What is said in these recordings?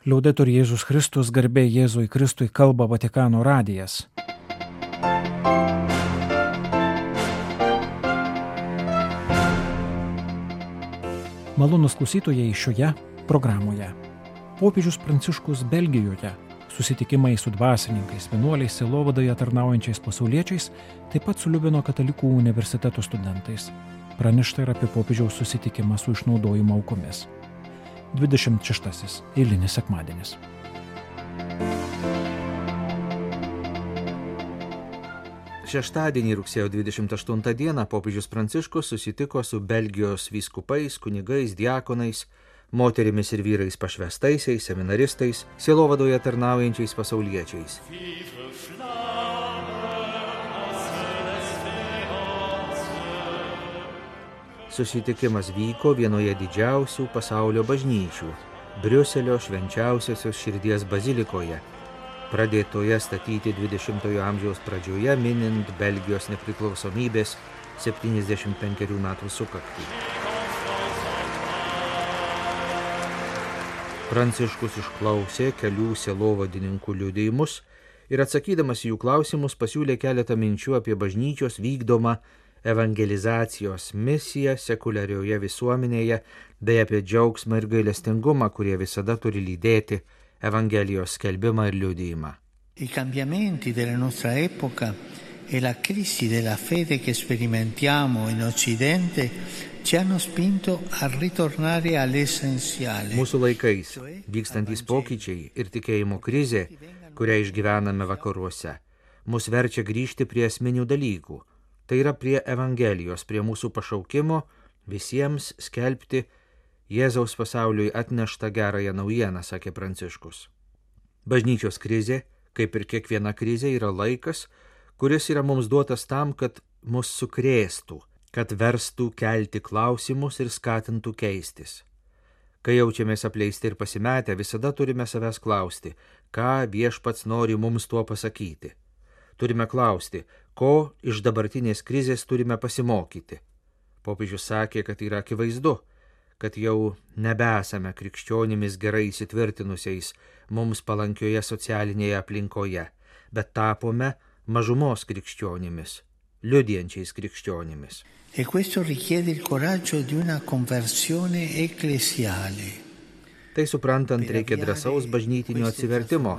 Liaudetur Jėzus Kristus, garbė Jėzui Kristui, kalba Vatikano radijas. Malonūs klausytojai šioje programoje. Popiežius Pranciškus Belgijoje, susitikimai su dvasininkais, vienuoliais, sielovadoje tarnaujančiais pasauliečiais, taip pat su Liubino katalikų universiteto studentais. Pranešta ir apie popiežiaus susitikimą su išnaudojimo aukomis. 26. Eilinis sekmadienis. Šeštadienį rugsėjo 28 dieną popiežius Pranciškus susitiko su Belgijos vyskupais, kunigais, diakonais, moterimis ir vyrais pašvestaisiais, seminaristais, sielovadoje tarnaujančiais pasauliečiais. Susitikimas vyko vienoje didžiausių pasaulio bažnyčių – Briuselio švenčiausiosios širdies bazilikoje, pradėtoje statyti 20-ojo amžiaus pradžioje, minint Belgijos nepriklausomybės 75 metų sukaktį. Pranciškus išklausė kelių sielovadininkų liudijimus ir atsakydamas į jų klausimus pasiūlė keletą minčių apie bažnyčios vykdomą evangelizacijos misiją sekuliarioje visuomenėje bei apie džiaugsmą ir gailestingumą, kurie visada turi lydėti Evangelijos skelbimą ir liudijimą. I cambiamenti della nostra epoca e la crisi della fede che sperimentiamo in Occidente ci hanno spinto a ritornare all'essenziale. Mūsų laikais vykstantys pokyčiai ir tikėjimo krizė, kurią išgyvename vakaruose, mus verčia grįžti prie esminių dalykų. Tai yra prie Evangelijos, prie mūsų pašaukimo visiems skelbti Jėzaus pasauliui atneštą gerąją naujieną, sakė Pranciškus. Bažnyčios krizė, kaip ir kiekviena krizė, yra laikas, kuris yra mums duotas tam, kad mus sukrėstų, kad verstų kelti klausimus ir skatintų keistis. Kai jaučiamės apleisti ir pasimetę, visada turime savęs klausti, ką Viešpats nori mums tuo pasakyti. Turime klausti, ko iš dabartinės krizės turime pasimokyti. Popiežius sakė, kad yra akivaizdu, kad jau nebesame krikščionimis gerai įsitvirtinusiais mums palankioje socialinėje aplinkoje, bet tapome mažumos krikščionimis, liudijančiais krikščionimis. E questo richiede il coraggio di una conversione ecclesiale. Tai suprantant, reikia drąsaus bažnytinio atsivertimo.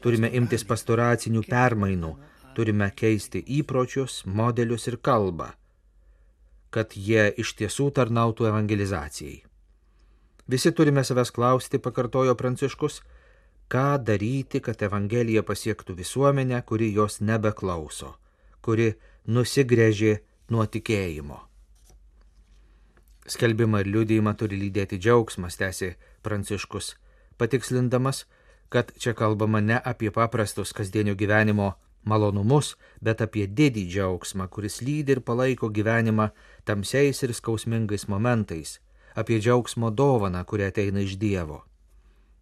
Turime imtis pastoracinių permainų, turime keisti įpročius, modelius ir kalbą, kad jie iš tiesų tarnautų evangelizacijai. Visi turime savęs klausti, pakartojo Pranciškus, ką daryti, kad evangelija pasiektų visuomenę, kuri jos nebeklauso, kuri nusigręžė nuo tikėjimo. Skelbimą ir liudijimą turi lydėti džiaugsmas, tęsė Pranciškus, patikslindamas, kad čia kalbama ne apie paprastus kasdienio gyvenimo malonumus, bet apie didį džiaugsmą, kuris lydi ir palaiko gyvenimą tamsiais ir skausmingais momentais, apie džiaugsmo dovaną, kuri ateina iš Dievo.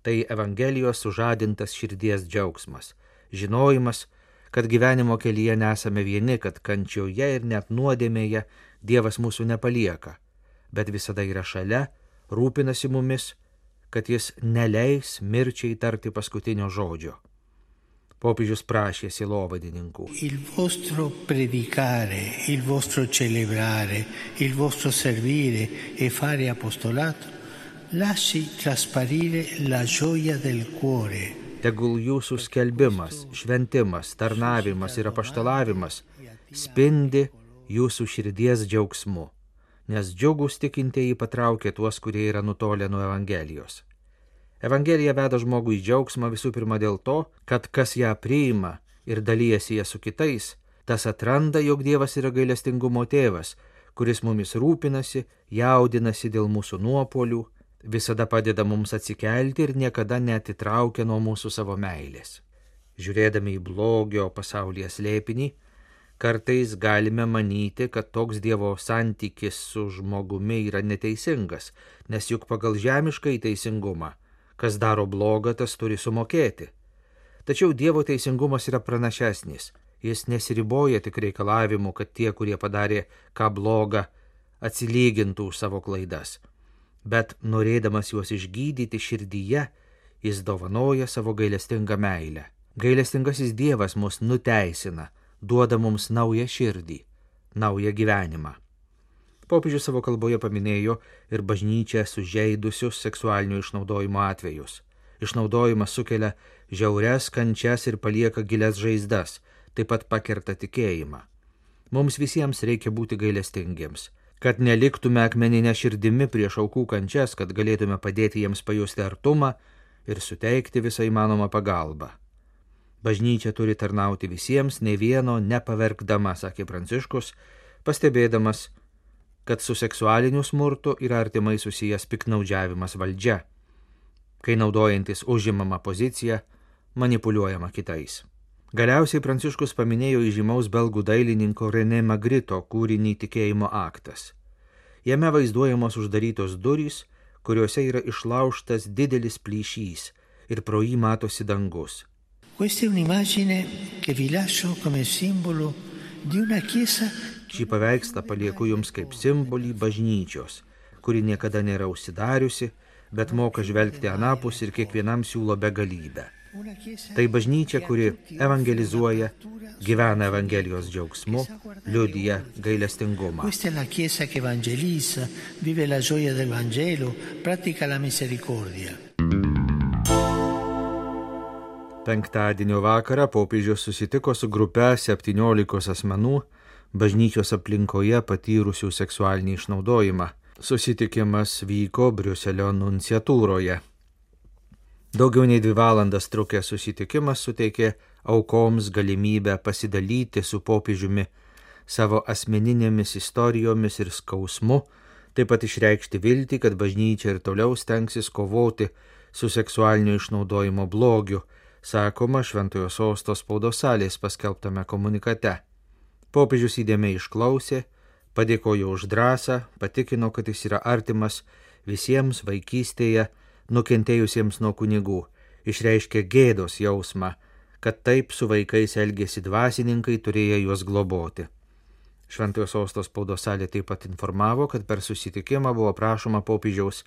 Tai Evangelijos sužadintas širdies džiaugsmas, žinojimas, kad gyvenimo kelyje nesame vieni, kad kančioje ir net nuodėmėje Dievas mūsų nepalieka, bet visada yra šalia, rūpinasi mumis, kad jis neleis mirčiai tarti paskutinio žodžio. Popiežius prašė sielovadininkų. Il vostro predicare, il vostro celebrare, il vostro servire e fare apostolato lasci trasparire la gioia del cuore. Tegul jūsų skelbimas, šventimas, tarnavimas ir apaštalavimas spindi jūsų širdies džiaugsmu, nes džiugus tikintieji patraukia tuos, kurie yra nutolę nuo Evangelijos. Evangelija veda žmogų į džiaugsmą visų pirma dėl to, kad kas ją priima ir dalyjasi ją su kitais, tas atranda, jog Dievas yra gailestingumo tėvas, kuris mumis rūpinasi, jaudinasi dėl mūsų nuopuolių, visada padeda mums atsikelti ir niekada neatitraukia nuo mūsų savo meilės. Žiūrėdami į blogio pasaulyje slėpinį, kartais galime manyti, kad toks Dievo santykis su žmogumi yra neteisingas, nes juk pagal žemišką teisingumą kas daro blogą, tas turi sumokėti. Tačiau Dievo teisingumas yra pranašesnis. Jis nesiriboja tik reikalavimu, kad tie, kurie padarė ką blogą, atsilygintų už savo klaidas. Bet norėdamas juos išgydyti širdyje, Jis dovanoja savo gailestingą meilę. Gailestingasis Dievas mus nuteisina, duoda mums naują širdį, naują gyvenimą. Popiežius savo kalboje paminėjo ir bažnyčią sužeidusius seksualinio išnaudojimo atvejus. Išnaudojimas sukelia žiaurias kančias ir palieka gilias žaizdas, taip pat pakerta tikėjimą. Mums visiems reikia būti gailestingiems, kad neliktume akmeninę širdimi prieš aukų kančias, kad galėtume padėti jiems pajusti artumą ir suteikti visą įmanomą pagalbą. Bažnyčia turi tarnauti visiems, nei vieno nepaverkdama, sakė Pranciškus, pastebėdamas, kad su seksualiniu smurtu yra artimai susijęs piktnaudžiavimas valdžia, kai naudojantis užimamą poziciją manipuliuojama kitais. Galiausiai Pranciškus paminėjo įžymaus belgų dailininko René Magrito kūrinį Tikėjimo aktas. Jame vaizduojamos uždarytos durys, kuriuose yra išlaužtas didelis plyšys ir pro jį matosi dangus. Questa è un'immagine che vi lascio come simbolo di una chiesa. Šį paveikslą palieku jums kaip simbolį bažnyčios, kuri niekada nėra užsidariusi, bet moka žvelgti anapus ir kiekvienam siūlo begalybę. Tai bažnyčia, kuri evangelizuoja, gyvena Evangelijos džiaugsmu, liudija gailestingumą. Questa è la chiesa che evangelizza, vive la gioia del Vangelo, pratica la misericordia. Penktadienio vakarą popiežius susitiko su grupe 17 asmenų bažnyčios aplinkoje patyrusių seksualinį išnaudojimą. Susitikimas vyko Briuselio nunciatūroje. Daugiau nei 2 valandas trukęs susitikimas suteikė aukoms galimybę pasidalyti su popiežiumi savo asmeninėmis istorijomis ir skausmu, taip pat išreikšti viltį, kad bažnyčia ir toliau stengsis kovoti su seksualinio išnaudojimo blogiu, sakoma Šventojo Sosto spaudos salės paskelbtame komunikate. Popiežius įdėmiai išklausė, padėkojo už drąsą, patikino, kad jis yra artimas visiems vaikystėje nukentėjusiems nuo kunigų, išreiškė gėdos jausmą, kad taip su vaikais elgėsi dvasininkai, turėję juos globoti. Šventojo Sosto spaudos salė taip pat informavo, kad per susitikimą buvo prašoma popiežiaus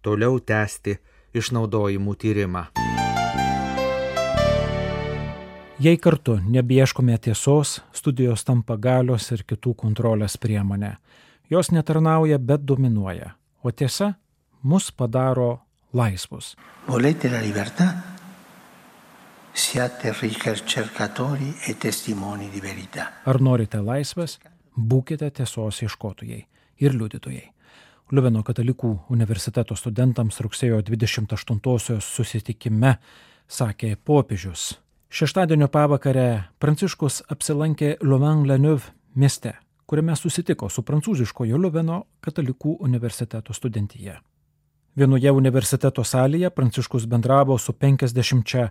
toliau tęsti išnaudojimų tyrimą. Jei kartu nebeieškome tiesos, studijos tampa galios ir kitų kontrolės priemonė. Jos netarnauja, bet dominuoja, o tiesa mus padaro laisvus. Volete la libertà? Siate ricercatori e testimoni di verità. Ar norite laisvės? Būkite tiesos ieškotojai ir liudytojai. Liuveno katalikų universiteto studentams rugsėjo 28-osios susitikime sakė popiežius. Šeštadienio pavakarę Pranciškus apsilankė Louvain-la-Neuve mieste, kuriame susitiko su prancūziškojo Liuveno katalikų universiteto studentija. Vienoje universiteto salėje Pranciškus bendravo su 50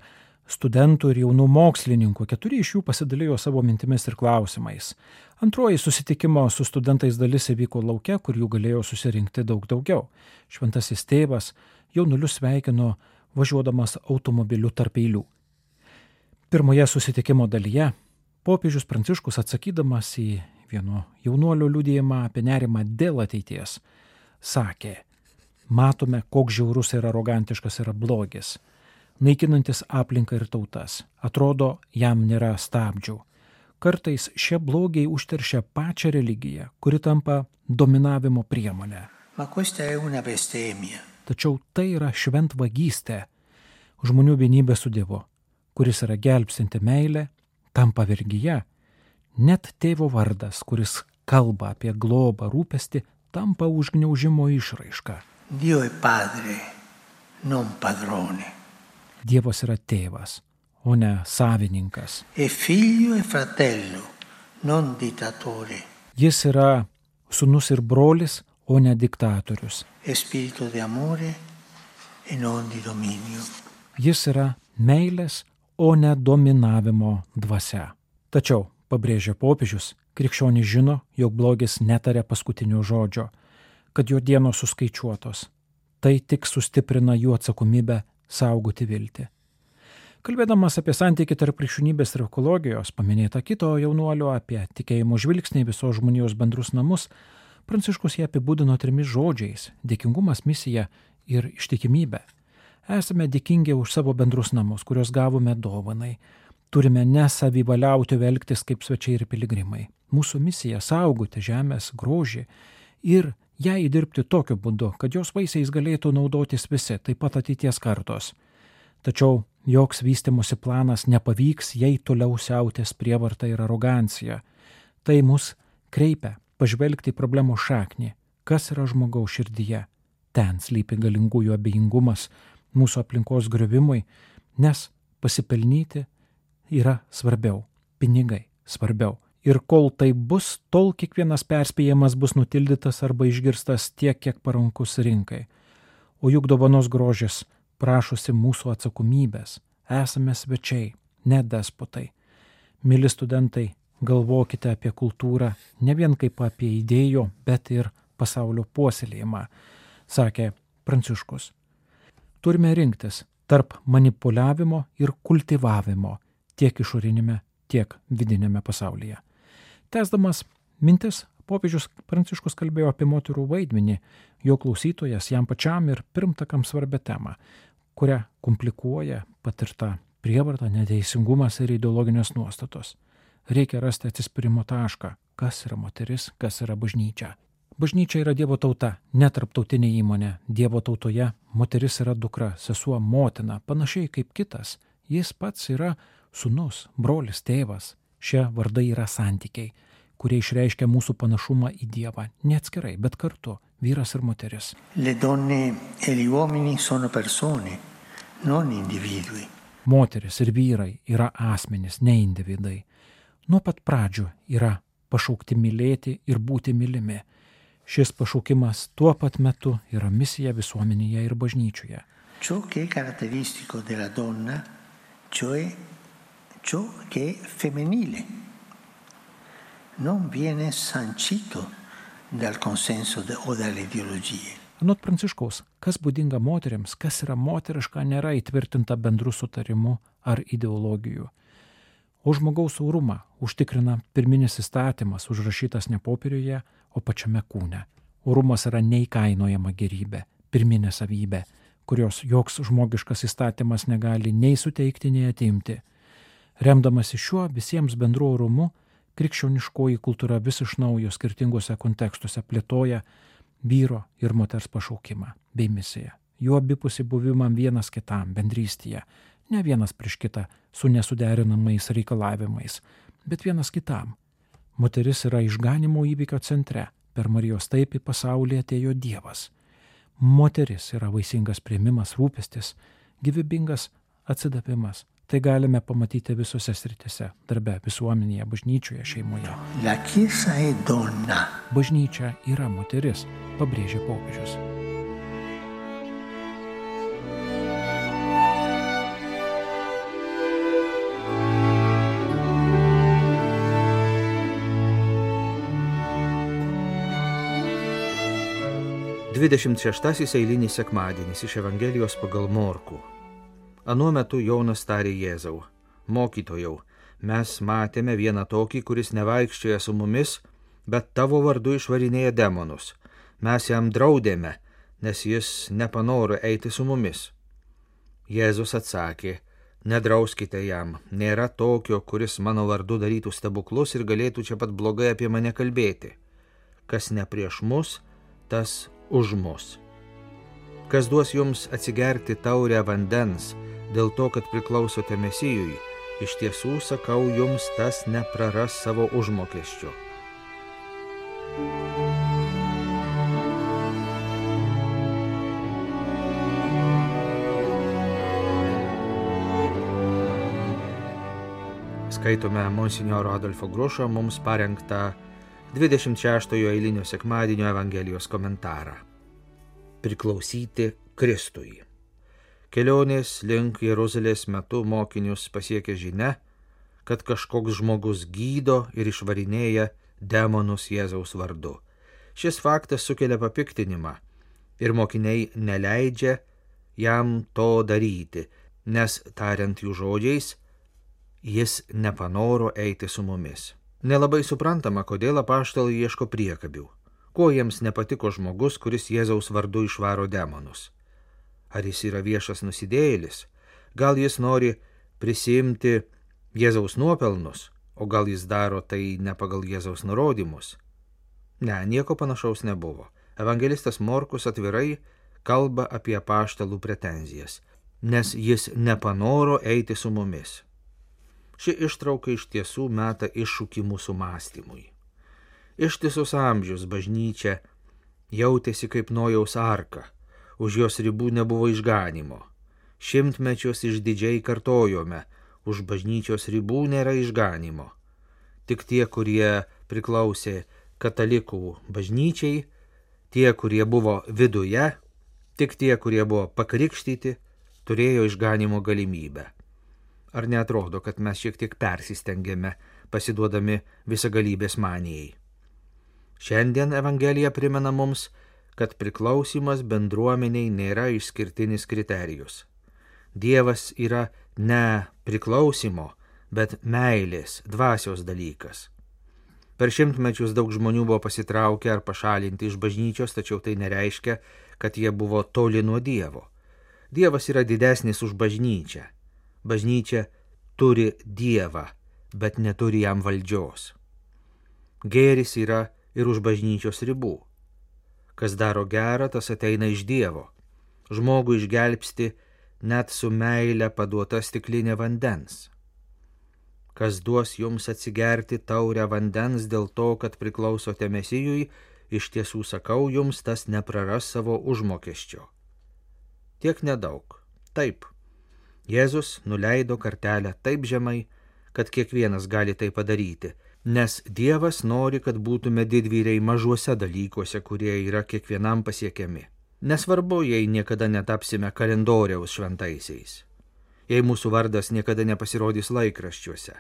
studentų ir jaunų mokslininkų, 4 iš jų pasidalijo savo mintimis ir klausimais. Antroji susitikimo su studentais dalis įvyko lauke, kur jų galėjo susirinkti daug daugiau. Šventasis tėvas jaunulius sveikino važiuodamas automobiliu tarp eilių. Pirmoje susitikimo dalyje popiežius Pranciškus atsakydamas į vieno jaunuolio liudijimą apie nerimą dėl ateities sakė: matome, koks žiaurus ir arogantiškas yra blogis, naikinantis aplinką ir tautas. Atrodo, jam nėra stabdžių. Kartais šie blogiai užteršia pačią religiją, kuri tampa dominavimo priemonė. Tačiau tai yra šventvagystė, žmonių vienybė su Dievu, kuris yra gelbstinti meilė, tampa vergyje. Net tėvo vardas, kuris kalba apie globą, rūpestį, tampa užgniaužimo išraiška. Dio è padre, non padrone. Dievas yra tėvas, o ne savininkas. È figlio e fratello, non dittatore. Jis yra sūnus ir brolis, o ne diktatorius. È spirito di amore e non di dominio. Jis yra meilės, o ne dominavimo dvasia. Tačiau, pabrėžia popiežius, krikščionys žino, jog blogis netarė paskutinio žodžio, kad jo dienos suskaičiuotos. Tai tik sustiprina jų atsakomybę saugoti viltį. Kalbėdamas apie santykį tarp krikščionybės ir ekologijos, paminėta kito jaunuolio apie tikėjimo žvilgsnį visos žmonijos bendrus namus, Pranciškus ją apibūdino 3 žodžiais – dėkingumas, misija ir ištikimybė. Esame dėkingi už savo bendrus namus, kuriuos gavome dovanai. Turime nesavivaliauti elgtis kaip svečiai ir piligrimai. Mūsų misija saugoti žemės grožį ir ją įdirbti tokiu būdu, kad jos vaisiais galėtų naudotis visi, taip pat ateities kartos. Tačiau joks vystimosi planas nepavyks, jei toliau siautės prievarta ir arogancija. Tai mus kreipia pažvelgti į problemos šaknį, kas yra žmogaus širdyje. Ten slypi galingųjų abejingumas mūsų aplinkos griovimui, nes pasipelnyti yra svarbiau, pinigai svarbiau. Ir kol tai bus, tol kiekvienas perspėjimas bus nutildytas arba išgirstas tiek, kiek parankus rinkai. O juk dovanos grožis prašosi mūsų atsakomybės. Esame svečiai, ne despotai. Mili studentai, galvokite apie kultūrą ne vien kaip apie idėjų, bet ir pasaulio puoselėjimą, sakė Pranciškus. Turime rinktis tarp manipuliavimo ir kultivavimo tiek išorinėme, tiek vidinėme pasaulyje. Tęsdamas mintis, popiežius Pranciškus kalbėjo apie moterų vaidmenį, jo klausytojas jam pačiam ir pirmtakams svarbia tema, kurią komplikuoja patirta prievarta, neteisingumas ir ideologinės nuostatos. Reikia rasti atsispyrimo tašką, kas yra moteris, kas yra bažnyčia. Bažnyčia yra Dievo tauta, ne tarptautinė įmonė. Dievo tautoje moteris yra dukra, sesuo, motina, panašiai kaip kitas. Jis pats yra sūnus, brolis, tėvas. Šie vardai yra santykiai, kurie išreiškia mūsų panašumą į Dievą, ne atskirai, bet kartu, vyras ir moteris. Le donne e gli uomini sono persone, non individui. Moteris ir vyrai yra asmenys, ne individai. Nuo pat pradžių yra pašaukti mylėti ir būti mylimi. Šis pašaukimas tuo pat metu yra misija visuomenėje ir bažnyčioje. Ciò che è caratteristico della donna, cioè ciò che è femminile, non viene sancito dal consenso o dalle ideologie. Anot Pranciškaus, kas būdinga moteriams, kas yra moteriška, nėra įtvirtinta bendru sutarimu ar ideologijų. O žmogaus orumą užtikrina pirminis įstatymas, užrašytas ne popieriuje, o pačiame kūne. Orumas yra neįkainojama gerybė, pirminė savybė, kurios joks žmogiškas įstatymas negali nei suteikti, nei atimti. Remdamasi šiuo visiems bendru orumu, krikščioniškoji kultūra vis iš naujo skirtingose kontekstuose plėtoja vyro ir moters pašaukimą bei misiją. Jų abipusį buvimą vienas kitam, bendrystėje, ne vienas prieš kitą su nesuderinamais reikalavimais, bet vienas kitam. Moteris yra išganimo įvykio centre, per Marijos taip į pasaulį atėjo Dievas. Moteris yra vaisingas priėmimas, rūpestis, gyvybingas atsidavimas. Tai galime pamatyti visose sritise – darbe, visuomenėje, bažnyčioje, šeimoje. La Chiesa è donna. Bažnyčia yra moteris, pabrėžė popiežius. Dvidešimt šeštasis eilinis sekmadienis iš Evangelijos pagal Morkų. Anuo metu Jonas tarė Jėzau: Mokytojau, mes matėme vieną tokį, kuris nevaikščioja su mumis, bet tavo vardu išvarinėja demonus. Mes jam draudėme, nes jis nepanoro eiti su mumis. Jėzus atsakė: Nedrauskite jam, nėra tokio, kuris mano vardu darytų stebuklus ir galėtų čia pat blogai apie mane kalbėti. Kas ne prieš mus, tas už mus. Kas duos jums atsigerti taurę vandens, dėl to, kad priklausote Mesijui, iš tiesų sakau jums, tas nepraras savo užmokesčio. Skaitome monsinjoro Adolfo Grušo mums parengtą 26-ojo eilinio sekmadienio Evangelijos komentarą. Priklausyti Kristui. Kelionės link Jeruzalės metu mokinius pasiekė žinia, kad kažkoks žmogus gydo ir išvarinėja demonus Jėzaus vardu. Šis faktas sukelia papiktinimą ir mokiniai neleidžia jam to daryti, nes, tariant jų žodžiais, jis nepanoro eiti su mumis. Nelabai suprantama, kodėl apaštalai ieško priekabių. Ko jiems nepatiko žmogus, kuris Jėzaus vardu išvaro demonus? Ar jis yra viešas nusidėjėlis? Gal jis nori prisiimti Jėzaus nuopelnus, o gal jis daro tai ne pagal Jėzaus nurodymus? Ne, nieko panašaus nebuvo. Evangelistas Morkus atvirai kalba apie apaštalų pretenzijas, nes jis nepanoro eiti su mumis. Ši ištrauka iš tiesų meta iššūkį mūsų mąstymui. Ištisus amžius bažnyčia jautėsi kaip Nojaus arka, už jos ribų nebuvo išganimo. Šimtmečius išdidžiai kartojome, už bažnyčios ribų nėra išganimo. Tik tie, kurie priklausė katalikų bažnyčiai, tie, kurie buvo viduje, tik tie, kurie buvo pakrikštyti, turėjo išganimo galimybę. Ar neatrodo, kad mes šiek tiek persistengėme, pasiduodami visagalybės manijai? Šiandien Evangelija primena mums, kad priklausimas bendruomeniai nėra išskirtinis kriterijus. Dievas yra ne priklausimo, bet meilės, dvasios dalykas. Per šimtmečius daug žmonių buvo pasitraukę ar pašalinti iš bažnyčios, tačiau tai nereiškia, kad jie buvo toli nuo Dievo. Dievas yra didesnis už bažnyčią. Bažnyčia turi Dievą, bet neturi jam valdžios. Gėris yra ir už bažnyčios ribų. Kas daro gerą, tas ateina iš Dievo. Žmogų išgelbsti net su meile paduota stiklinė vandens. Kas duos jums atsigerti taurę vandens dėl to, kad priklausote Mesijui, iš tiesų sakau jums, tas nepraras savo užmokesčio. Tiek nedaug. Taip. Jėzus nuleido kartelę taip žemai, kad kiekvienas gali tai padaryti, nes Dievas nori, kad būtume didvyriai mažuose dalykuose, kurie yra kiekvienam pasiekiami. Nesvarbu, jei niekada netapsime kalendoriaus šventaisiais. Jei mūsų vardas niekada nepasirodys laikraščiuose.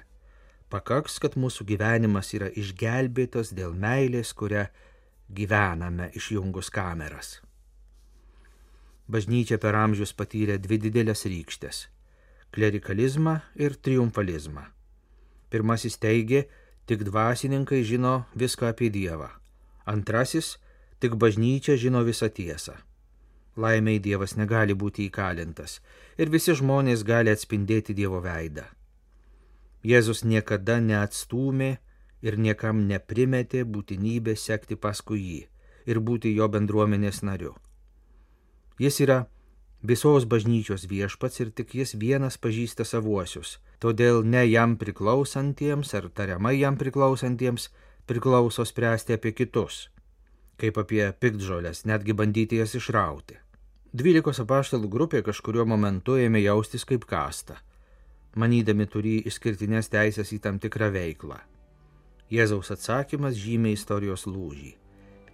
Pakaks, kad mūsų gyvenimas yra išgelbėtas dėl meilės, kurią gyvename išjungus kameras. Bažnyčia per amžius patyrė dvi didelės rykštės – klerikalizmą ir triumfalizmą. Pirmasis teigė, tik dvasininkai žino viską apie Dievą. Antrasis, tik bažnyčia žino visą tiesą. Laimiai Dievas negali būti įkalintas ir visi žmonės gali atspindėti Dievo veidą. Jėzus niekada neatstūmė ir niekam neprimetė būtinybę sekti paskui jį ir būti jo bendruomenės nariu. Jis yra visos bažnyčios viešpats ir tik jis vienas pažįsta savuosius, todėl ne jam priklausantiems ar tariamai jam priklausantiems priklauso spręsti apie kitus, kaip apie piktžoles, netgi bandyti jas išrauti. 12 apaštalų grupė kažkuriuo momentu ėmė jaustis kaip kasta, manydami turį išskirtinės teisės į tam tikrą veiklą. Jėzaus atsakymas žymė istorijos lūžį.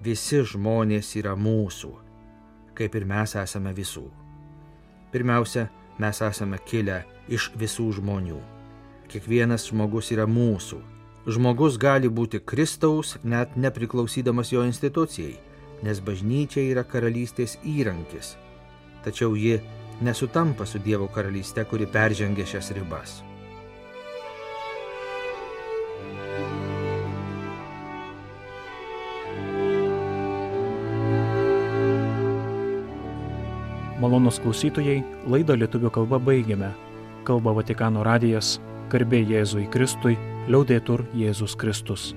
Visi žmonės yra mūsų, kaip ir mes esame visų. Pirmiausia, mes esame kilę iš visų žmonių. Kiekvienas žmogus yra mūsų. Žmogus gali būti Kristaus, net nepriklausydamas jo institucijai, nes bažnyčia yra karalystės įrankis. Tačiau ji nesutampa su Dievo karalyste, kuri peržengia šias ribas. Malonūs klausytojai, laidą lietuvių kalba baigiame. Kalba Vatikano radijas, garbė Jėzui Kristui, liaudetur Jėzus Kristus.